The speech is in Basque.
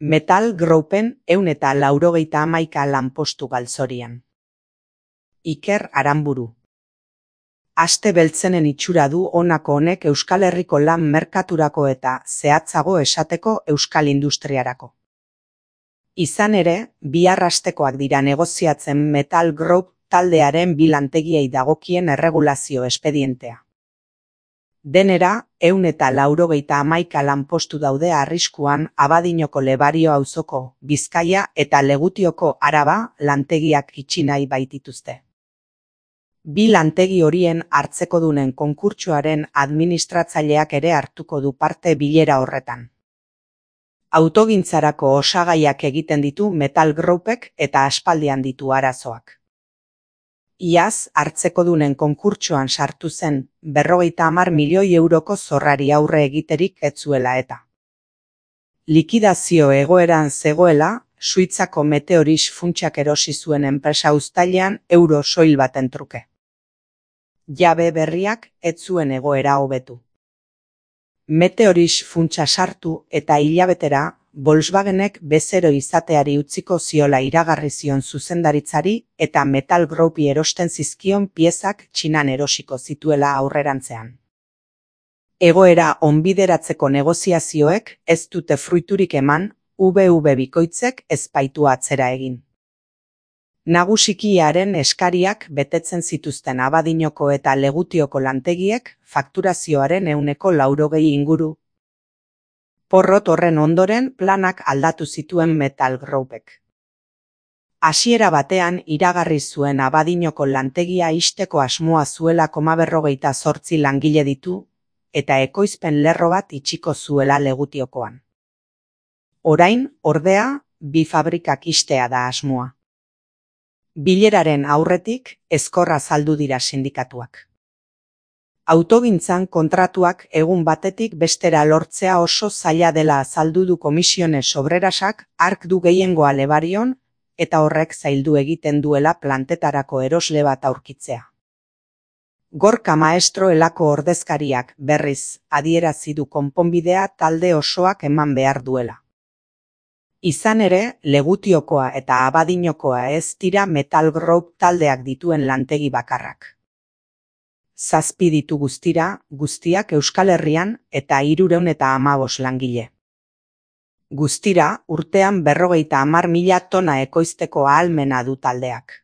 Metal Groupen 191 lanpostu galzorian. Iker Aranburu. Aste beltzenen itxura du honako honek Euskal Herriko lan merkaturako eta, zehatzago esateko, euskal industriarako. Izan ere, bihar hastekoak dira negoziatzen Metal Group taldearen bi lantegiei dagokien erregulazio espedientea. Denera, 191 lanpostu daude arriskuan Abadinoko Lebario auzoko, Bizkaia eta Legutioko Araba lantegiak itxi nahi baitituzte. Bi lantegi horien hartzekodunen konkurtsoaren administratzaileak ere hartuko du parte bilera horretan. Autogintzarako osagaiak egiten ditu Metal Groupek eta aspaldian ditu arazoak. Iaz, hartzekodunen konkurtsoan sartu zen 50 milioi euroko zorrari aurre egiterik ez zuela eta. Likidazio egoeran zegoela, Suitzako Meteoris funtsak erosi zuen enpresa uztailean euro soil baten truke. Jabe berriak ez zuen egoera hobetu. Meteoris funtsa sartu eta hilabetera Volkswagenek bezero izateari utziko ziola iragarri zion zuzendaritzari eta Metal Groupi erosten zizkion piezak Txinan erosiko zituela aurrerantzean. Egoera onbideratzeko negoziazioek ez dute fruiturik eman, VV bikoitzek ez baitu atzera egin. Nagusikiaren eskariak betetzen zituzten Abadinoko eta Legutioko lantegiek fakturazioaren 80% inguru. Porrot horren ondoren planak aldatu zituen Metal Groupek. Hasiera batean iragarri zuen Abadinoko lantegia ixteko asmoa zuela 58 langile ditu, eta ekoizpen lerro bat itxiko zuela Legutiokoan. Orain, ordea, bi fabrikak ixtea da asmoa. Bileraren aurretik ezkorra azaldu dira sindikatuak. Autogintzan kontratuak egun batetik bestera lortzea oso zaila dela azaldu du Komisiones Obrerasak hark du gehiengoa Lebarion eta horrek zaildu egiten duela plantetarako erosle bat aurkitzea. Gorka Maestro elako ordezkariak berriz adierazi du konponbidea talde osoak eman behar duela. Izan ere, Legutiokoa eta Abadinokoa ez dira Metal Group taldeak dituen lantegi bakarrak. 7 ditu guztira, guztiak Euskal Herrian eta 315 langile. Guztira, urtean 50.000 tona ekoizteko ahalmena du taldeak.